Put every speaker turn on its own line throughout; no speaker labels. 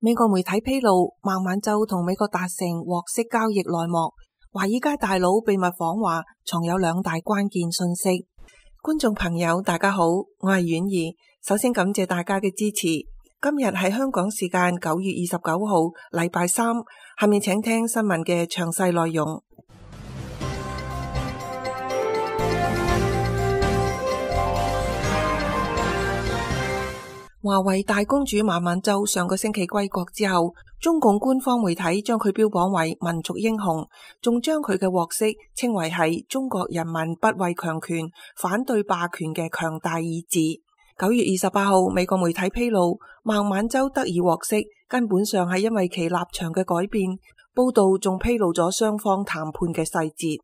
美國媒體披露，孟晚舟同美國達成獲釋交易內幕，華爾街大佬秘密訪華，藏有2大關鍵信息。觀眾朋友大家好，我係婉兒，首先感謝大家嘅支持。今日係香港時間9月29號禮拜三，下面請聽新聞嘅詳細內容。華為大公主孟晚舟上個星期歸國之後，中共官方媒體將佢標榜為民族英雄，仲將佢嘅獲釋稱為係中國人民不畏強權、反對霸權嘅強大意志。9月28號，美國媒體披露，孟晚舟得以獲釋，根本上係因為其立場嘅改變。報道仲披露咗雙方談判嘅細節。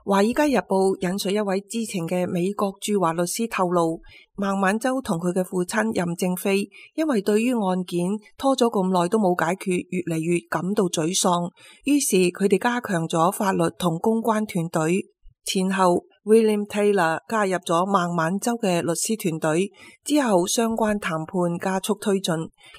《華爾街日報》引述一位知情嘅美國駐華律師透露，孟晚舟同佢嘅父親任正非因為對於案件拖咗咁耐都冇解決，越嚟越感到沮喪，於是佢哋加強咗法律同公關團隊。前後 William Taylor 加入咗孟晚舟嘅律師團隊，之後相關談判加速推進，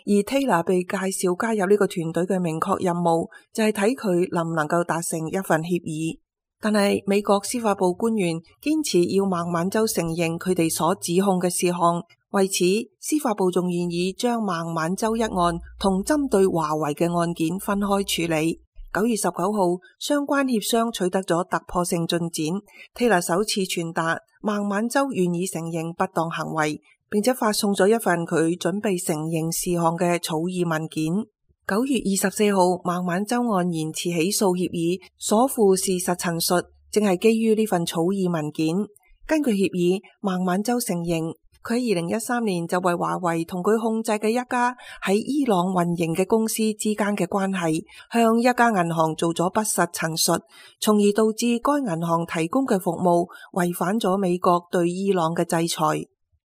而 Taylor 被介紹加入呢個團隊嘅明確任務就係睇佢能唔能夠達成一份協議。但係美國司法部官員堅持要孟晚舟承認佢哋所指控嘅事項，為此司法部仲願意將孟晚舟一案同針對華為嘅案件分開處理。9月19號，相關協商取得咗突破性進展。Taylor 首次傳達孟晚舟願意承認不當行為，並且發送咗一份佢準備承認事項嘅草擬文件。9月24號，孟晚舟案延遲起訴協議所附事實陳述，正係基於呢份草擬文件。根據協議，孟晚舟承認佢喺2013年就為華為同佢控制嘅一家喺伊朗運營嘅公司之間嘅關係，向一家銀行做咗不實陳述，從而導致該銀行提供嘅服務違反咗美國對伊朗嘅制裁。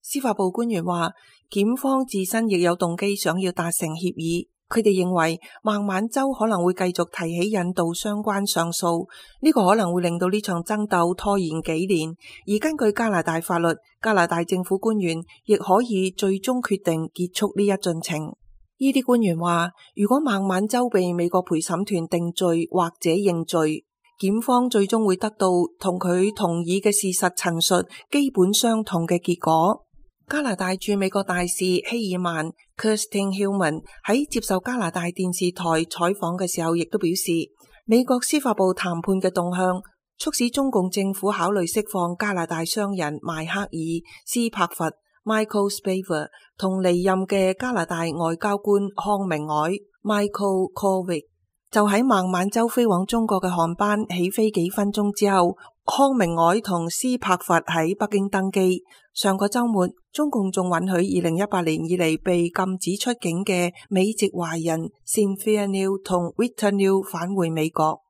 司法部官員話，檢方自身亦有動機想要達成協議。佢哋認為孟晚舟可能會繼續提起引渡相關上訴，呢個可能會令到呢場爭鬥拖延幾年。而根據加拿大法律，加拿大政府官員亦可以最終決定結束呢一進程。呢啲官員話，如果孟晚舟被美國陪審團定罪或者認罪，檢方最終會得到同佢同意嘅事實陳述基本相同嘅結果。加拿大駐美國大使希爾曼 Kirsten Hillman 喺接受加拿大電視台採訪嘅時候，亦都表示，美國司法部談判嘅動向促使中共政府考慮釋放加拿大商人邁克爾斯柏佛 Michael Spavor 同離任嘅加拿大外交官康明凱 Michael Kovrig。就喺孟晚舟飛往中國嘅航班起飛幾分鐘之後，康明凱同斯柏佛喺北京登機。上個週末，中共仲允許2018年以嚟被禁止出境嘅美籍華人 Cynthia New 同 Victor New 返回美國。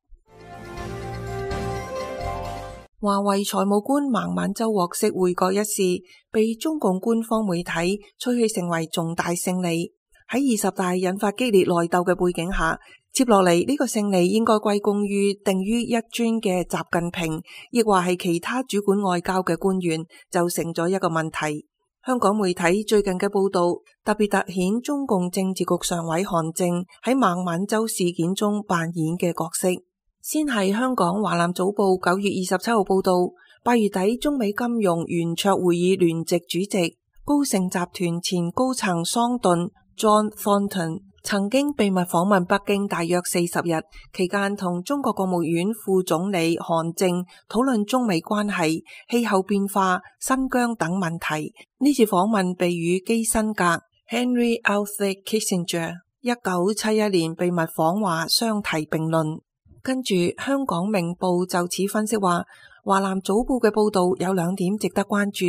華為財務官孟晚舟獲釋回國一事，被中共官方媒體吹噓成為重大勝利。喺20大引發激烈內鬥嘅背景下，接落嚟呢個勝利應該歸功於定於一尊嘅習近平，亦或係其他主管外交嘅官員，就成咗一個問題。香港媒體最近嘅報道特別凸顯中共政治局常委韓正喺孟晚舟事件中扮演嘅角色。先係香港華南早報9月27號報道，8月底中美金融圓桌會議聯席主席高盛集團前高層桑頓 John Thornton 曾經秘密訪問北京大約40日，期間同中國國務院副總理韓正討論中美關係、氣候變化、新疆等問題。呢次訪問被與基辛格 Henry Alfred Kissinger 1971年秘密訪華相提並論。跟住香港明報就此分析話，華南早報嘅報道有2點值得關注。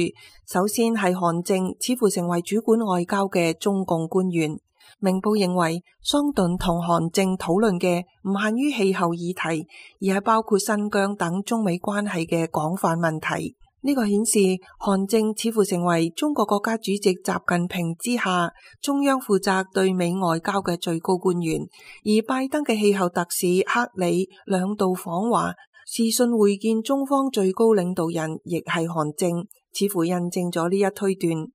首先係韓正似乎成為主管外交嘅中共官員。明報認為，桑頓同韓正討論嘅唔限於氣候議題，而係包括新疆等中美關係嘅廣泛問題。呢個顯示韓正似乎成為中國國家主席習近平之下中央負責對美外交嘅最高官員，而拜登嘅氣候特使克里2度訪華，視訊會見中方最高領導人亦係韓正，似乎印證咗呢一推斷。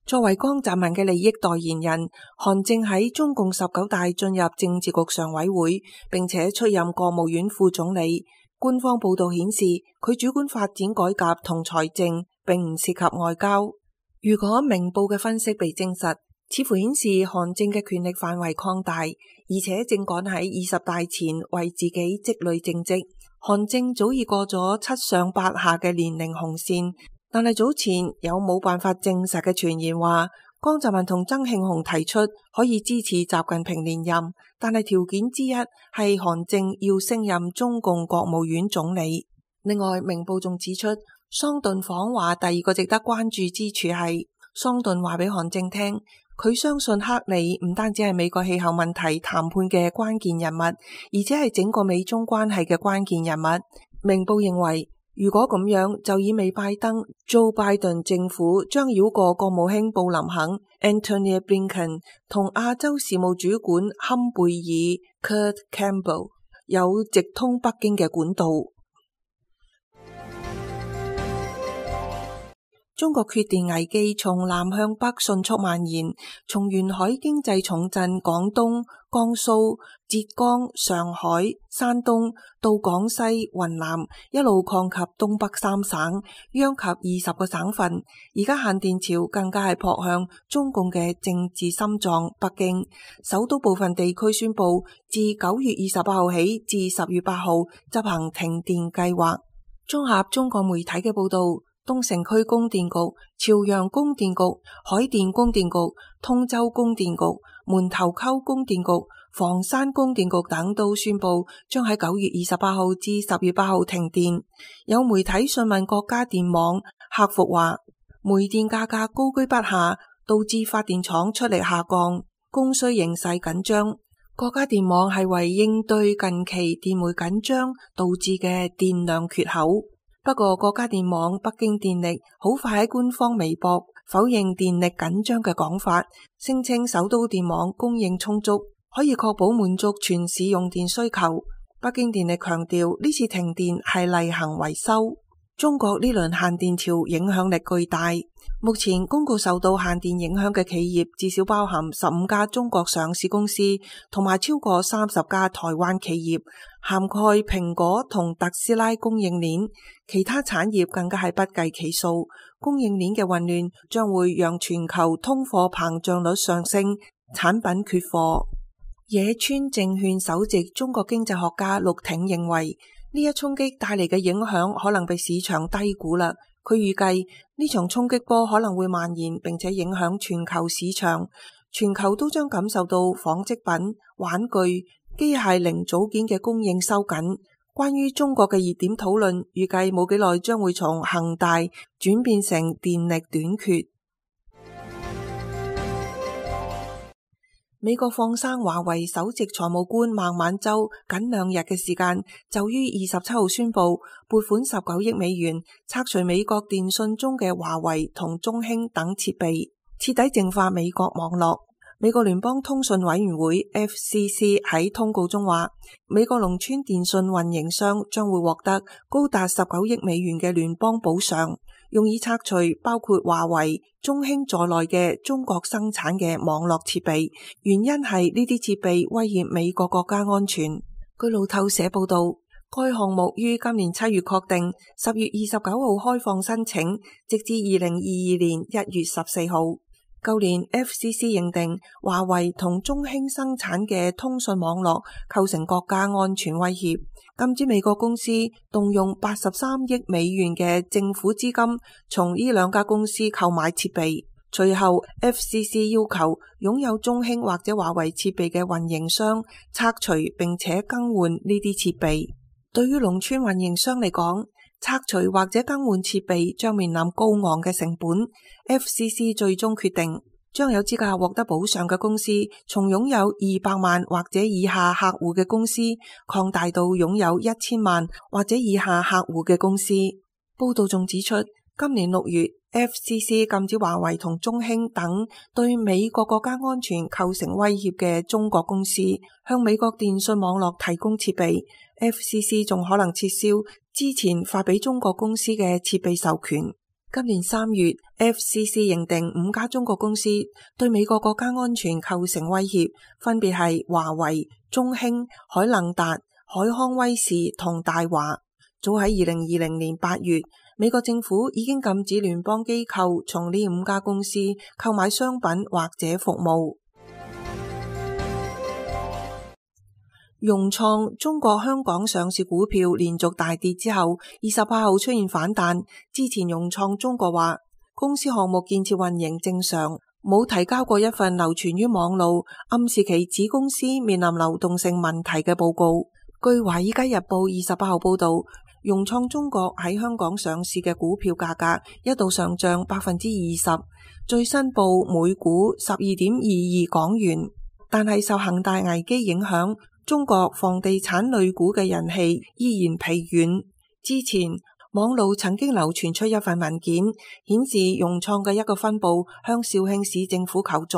作為江澤民嘅利益代言人，韓正喺中共19大進入政治局常委會，並且出任國務院副總理。官方報道顯示，佢主管發展改革同財政，並唔涉及外交。如果明報嘅分析被證實，似乎顯示韓正嘅權力範圍擴大，而且正趕喺20大前為自己積累政績。韓正早已過咗7上8下嘅年齡紅線。但係早前有冇辦法證實嘅傳言話，江澤民同曾慶紅提出可以支持習近平連任，但係條件之一係韓正要升任中共國務院總理。另外，明報仲指出，桑頓訪華第二個值得關注之處係，桑頓話俾韓正聽，佢相信克里唔單止係美國氣候問題談判嘅關鍵人物，而且係整個美中關係嘅關鍵人物。明報認為，如果咁樣，就意味拜登 Joe Biden 政府將繞過國務卿布林肯 Antony Blinken 同亞洲事務主管坎貝爾 Kurt Campbell 有直通北京嘅管道。中國缺電危機從南向北迅速蔓延，從沿海經濟重鎮廣東、江蘇、浙江、上海、山東到廣西、雲南，一路擴及東北3省，殃及20個省份。而家限電潮更加係撲向中共嘅政治心臟北京，首都部分地區宣布自9月28號起至10月8號執行停電計劃。綜合中國媒體嘅報道，東城區供電局、朝陽供電局、海淀供電局、通州供電局、門頭溝供電局、房山供電局等都宣布將喺9月28號至10月8號停電。有媒體詢問國家電網客服話，煤電價格高居不下，導致發電廠出力下降，供需形勢緊張。國家電網係為應對近期電煤緊張導致嘅電量缺口。不過，國家電網北京電力好快喺官方微博否認電力緊張嘅講法，聲稱首都電網供應充足，可以確保滿足全市用電需求。北京電力強調呢次停電係例行維修。中國呢輪限電潮影響力巨大，目前公告受到限電影響嘅企業至少包含15家中國上市公司，同埋超過30家台灣企業，涵蓋蘋果同特斯拉供應鏈，其他產業更加係不計其數。供應鏈嘅混亂將會讓全球通貨膨脹率上升，產品缺貨。野村證券首席中國經濟學家陸挺認為，呢一衝擊帶嚟嘅影響可能被市場低估啦。佢預計呢場衝擊波可能會蔓延，並且影響全球市場，全球都將感受到紡織品、玩具、機械零組件嘅供應收緊。關於中國嘅熱點討論，預計冇幾耐將會從恒大轉變成電力短缺。美國放生華為首席財務官孟晚舟僅2日嘅時間，就於27號宣布撥款19億美元拆除美國電信中嘅華為同中興等設備，徹底淨化美國網絡。美國聯邦通訊委員會 FCC 喺通告中話，美國農村電信運營商將會獲得高達19億美元嘅聯邦補償，用以拆除包括華為、中興在內嘅中國生產嘅網絡設備，原因係呢啲設備威脅美國國家安全。據路透社報道，該項目於今年7月確定，10月29號開放申請，直至2022年1月14號。舊年 FCC 認定華為同中興生產嘅通訊網絡構成國家安全威脅，禁止美國公司動用83億美元嘅政府資金從呢兩家公司購買設備。隨後 FCC 要求擁有中興或者華為設備嘅運營商拆除並且更換呢啲設備。對於農村運營商嚟講，拆除或者更換設備將面臨高昂嘅成本。FCC 最終決定將有資格獲得補償嘅公司從擁有200萬或者以下客戶嘅公司擴大到擁有1000萬或者以下客戶嘅公司。報道仲指出，今年6月 FCC 禁止華為同中興等對美國國家安全構成威脅嘅中國公司向美國電信網絡提供設備。FCC 仲可能撤銷之前發俾中國公司嘅設備授權。今年3月 FCC 認定5家中國公司對美國國家安全構成威脅，分別係華為、中興、海能達、海康威視同大華。早喺2020年8月，美國政府已經禁止聯邦機構從呢5家公司購買商品或者服務。融創中國香港上市股票連續大跌之後，28號出現反彈。之前融創中國話，公司項目建設運營正常，冇提交過一份流傳於網路暗示其子公司面臨流動性問題嘅報告。據華爾街日報28號報道，融創中國喺香港上市嘅股票價格一度上漲20%，最新報每股12.22港元。但係受恒大危機影響，中國房地產類股嘅人氣依然疲軟。之前網路曾經流傳出一份文件，顯示融創嘅一個分部向肇慶市政府求助。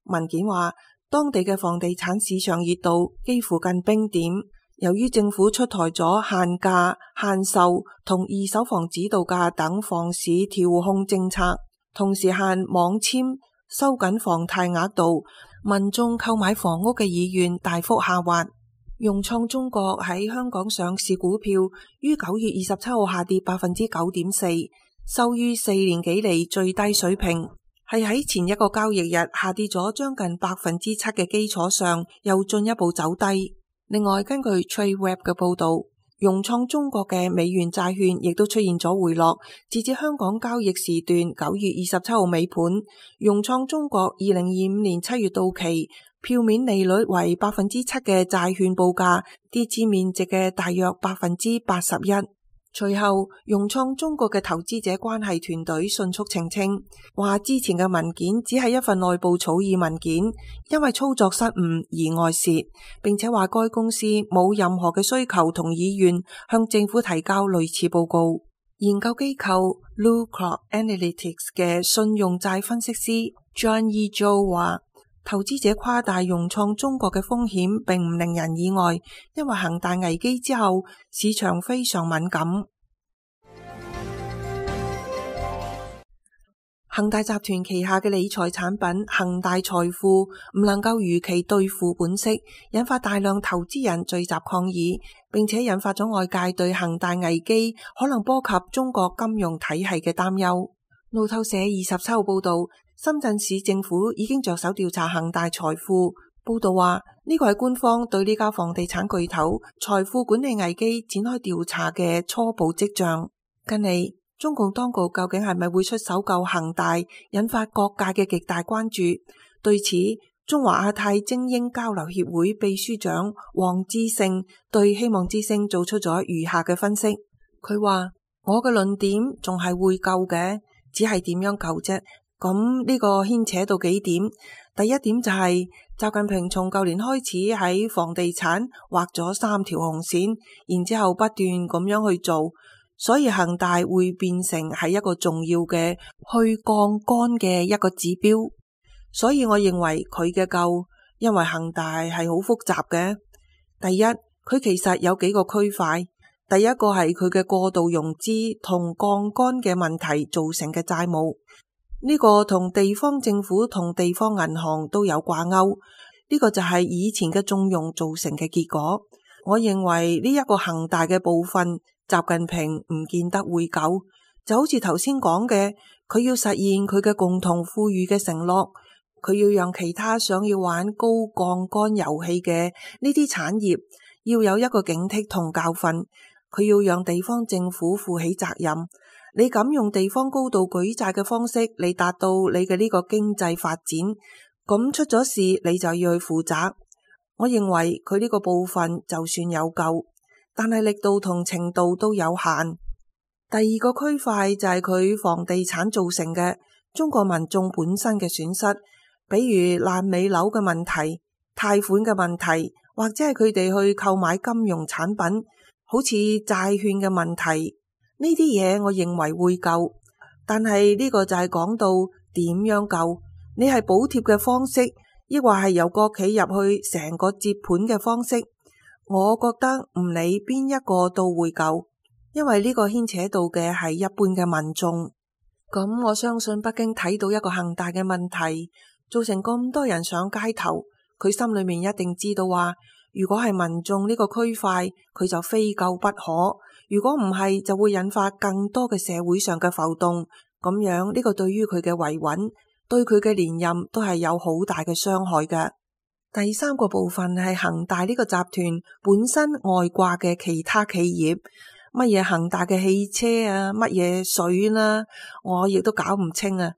文件話，當地嘅房地產市場熱度幾乎近冰點，由於政府出台咗限價、限售同二手房指導價等房市調控政策，同時限網簽、收緊房貸額度，民眾購買房屋嘅意願大幅下滑。融創中國喺香港上市股票於9月27號下跌9.4%，收於4年幾嚟最低水平，係喺前一個交易日下跌咗將近7%嘅基礎上又進一步走低。另外，根據 TradeWeb 嘅報道，融創中國嘅美元債券亦都出現咗回落。截至香港交易時段9月27號尾盤，融創中國2025年7月到期票面利率為7%嘅債券報價跌至面值嘅大約81%。隨後，融創中國嘅投資者關係團隊迅速澄清，話之前嘅文件只係一份內部草擬文件，因為操作失誤而外洩，並且話該公司冇任何嘅需求同意願向政府提交類似報告。研究機構 Bluecroft Analytics 嘅信用債分析師 John E. Zhou 話，投資者誇大融創中國嘅風險並唔令人意外，因為恒大危機之後市場非常敏感。恒大集團旗下嘅理財產品恒大財富唔能夠如期兌付本息，引發大量投資人聚集抗議，並且引發咗外界對恒大危機可能波及中國金融體系嘅擔憂。路透社27號報道，深圳市政府已經着手調查恒大財富。報道話，呢個係官方對呢家房地產巨頭財富管理危機展開調查嘅初步跡象。近嚟，中共當局究竟係咪會出手救恒大，引發各界嘅極大關注。對此，中華亞太精英交流協會秘書長黃志勝對希望之聲做出咗如下嘅分析。佢話：我嘅論點仲係會救嘅，只係點樣救啫？咁呢個牽扯到幾點。第一點就係習近平從舊年開始喺房地產畫咗3條紅線，然之後不斷咁樣去做，所以恒大會變成係一個重要嘅去槓桿嘅一個指標。所以我認為佢嘅救，因為恒大係好複雜嘅。第一，佢其實有幾個區塊。第一個係佢嘅過度融資同槓桿嘅問題造成嘅債務。呢個同地方政府同地方銀行都有掛鈎，呢個就係以前嘅縱容造成嘅結果。我認為呢一個恒大嘅部分，習近平唔見得會救，就好似頭先講嘅，佢要實現佢嘅共同富裕嘅承諾，佢要讓其他想要玩高槓桿遊戲嘅呢啲產業要有一個警惕同教訓，佢要讓地方政府負起責任。你敢用地方高度舉債嘅方式嚟達到你嘅呢個經濟發展，咁出咗事你就要去負責。我認為佢呢個部分就算有救，但係力度同程度都有限。第二個區塊就係佢房地產造成嘅中國民眾本身嘅損失，比如爛尾樓嘅問題、貸款嘅問題，或者係佢哋去購買金融產品，好似債券嘅問題。呢啲嘢我認為會救，但係呢個就係講到點樣救？你係補貼嘅方式，抑或係由國企入去成個接盤嘅方式？我覺得唔理邊一個都會救，因為呢個牽扯到嘅係一般嘅民眾。咁我相信北京睇到一個恒大嘅問題，造成咁多人上街頭，佢心裏面一定知道話，如果係民眾呢個區塊，佢就非救不可；如果唔係，就會引發更多嘅社會上嘅浮動。咁樣呢個對於佢嘅維穩，對佢嘅連任都係有好大嘅傷害嘅。第三個部分係恒大呢個集團本身外掛嘅其他企業。乜嘢恒大嘅汽車啊，乜嘢水啦，我亦都搞唔清啊。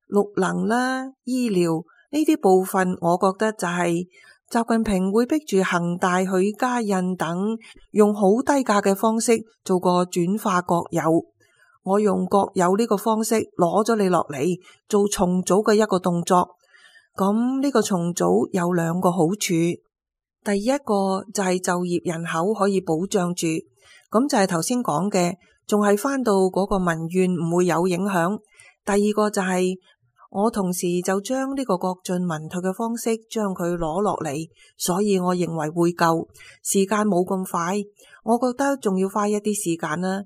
綠能啦、醫療呢啲部分，我覺得就係習近平會逼住恒大、許家印等用好低價嘅方式做個轉化國有。我用國有呢個方式攞咗你落嚟做重組嘅一個動作。咁呢個重組有兩個好處，第一個就係就業人口可以保障住。咁就係頭先講嘅，仲係返到嗰個民怨唔會有影響。第二個就係我同時就將呢個國進民退嘅方式將佢攞落嚟，所以我認為會夠時間，冇咁快。我覺得仲要花一啲時間啦。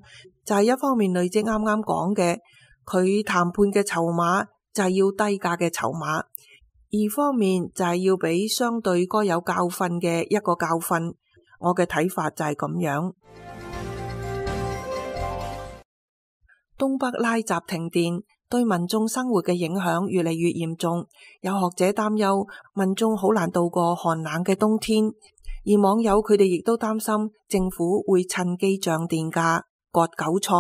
就係一方面累積啱啱講嘅，佢談判嘅籌碼就係要低價嘅籌碼；二方面就係要俾相對該有教訓嘅一個教訓。我嘅睇法就係咁樣。東北拉閘停電對民眾生活嘅影響越嚟越嚴重，有學者擔憂民眾好難度過寒冷嘅冬天，而網友佢哋亦都擔心政府會趁機漲電價割韭菜。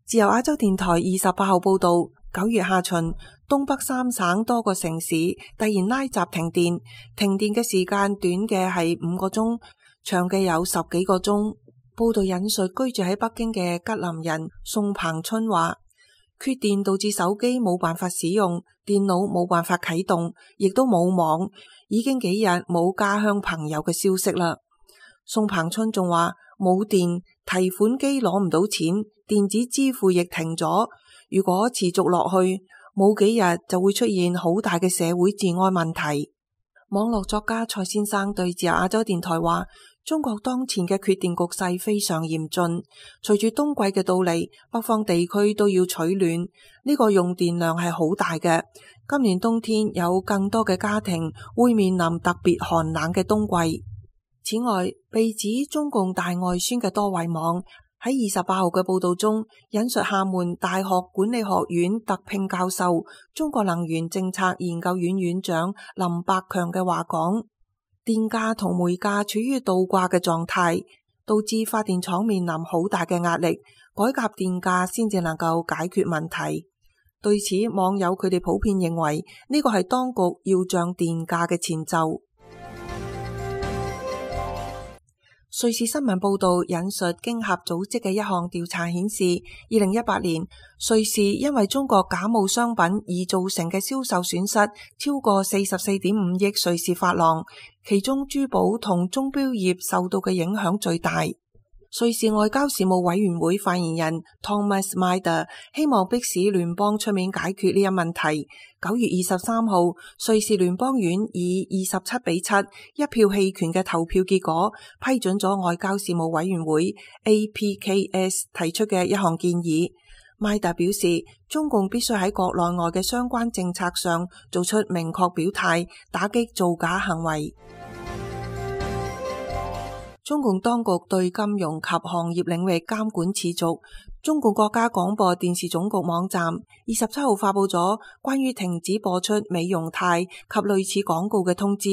自由亞洲電台28號報道，9月下旬，東北三省多個城市突然拉閘停電，停電嘅時間短嘅係5個鐘，長嘅有10幾個鐘。報道引述居住喺北京嘅吉林人宋鵬春話，缺電導致手機冇辦法使用，電腦冇辦法啟動，亦都冇網，已經幾日冇家鄉朋友嘅消息啦。宋鵬春仲話冇電，提款機攞唔到錢，電子支付亦停咗。如果持續落去，冇幾日就會出現好大嘅社會治安問題。網絡作家蔡先生對自由亞洲電台話，中國當前嘅缺電局勢非常嚴峻，隨住冬季嘅到嚟，北方地區都要取暖，呢個用電量係好大嘅。今年冬天有更多嘅家庭會面臨特別寒冷嘅冬季。此外，被指中共大外宣嘅多位網喺28號嘅報道中，引述廈門大學管理學院特聘教授、中國能源政策研究院院長林百強嘅話講，電價同煤價處於倒掛嘅狀態，導致發電廠面臨好大嘅壓力，改革電價先至能夠解決問題。對此，網友佢哋普遍認為呢個係當局要漲電價嘅前奏。瑞士新聞報道引述經合組織嘅一項調查顯示，2018年瑞士因為中國假冒商品而造成嘅銷售損失超過44.5億瑞士法郎，其中珠寶同鐘錶業受到嘅影響最大。瑞士外交事務委員會發言人 Thomas Myder 希望迫使聯邦出面解決呢一問題。9月23號，瑞士聯邦院以27-7一票棄權嘅投票結果批准咗外交事務委員會 APKS 提出嘅一項建議。Myder 表示，中共必須喺國內外嘅相關政策上做出明確表態，打擊造假行為。中共當局對金融及行業領域監管持續。中共國家廣播電視總局網站27號發佈咗關於停止播出美容態及類似廣告嘅通知。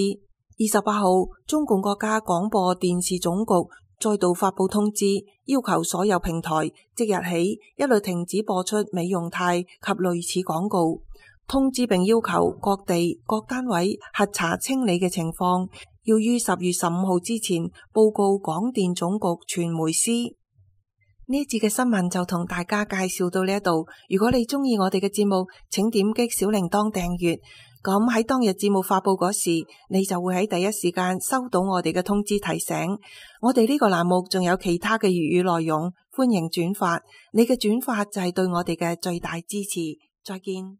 28號，中共國家廣播電視總局再度發佈通知，要求所有平台即日起一律停止播出美容態及類似廣告。通知並要求各地各單位核查清理嘅情況，要於10月15號之前報告廣電總局傳媒司。呢一節嘅新聞就同大家介紹到呢一度。如果你鍾意我哋嘅節目，請點擊小鈴鐺訂閱。咁喺當日節目發佈嗰時，你就會喺第一時間收到我哋嘅通知提醒。我哋呢個欄目仲有其他嘅粵語內容，歡迎轉發。你嘅轉發就係對我哋嘅最大支持。再見。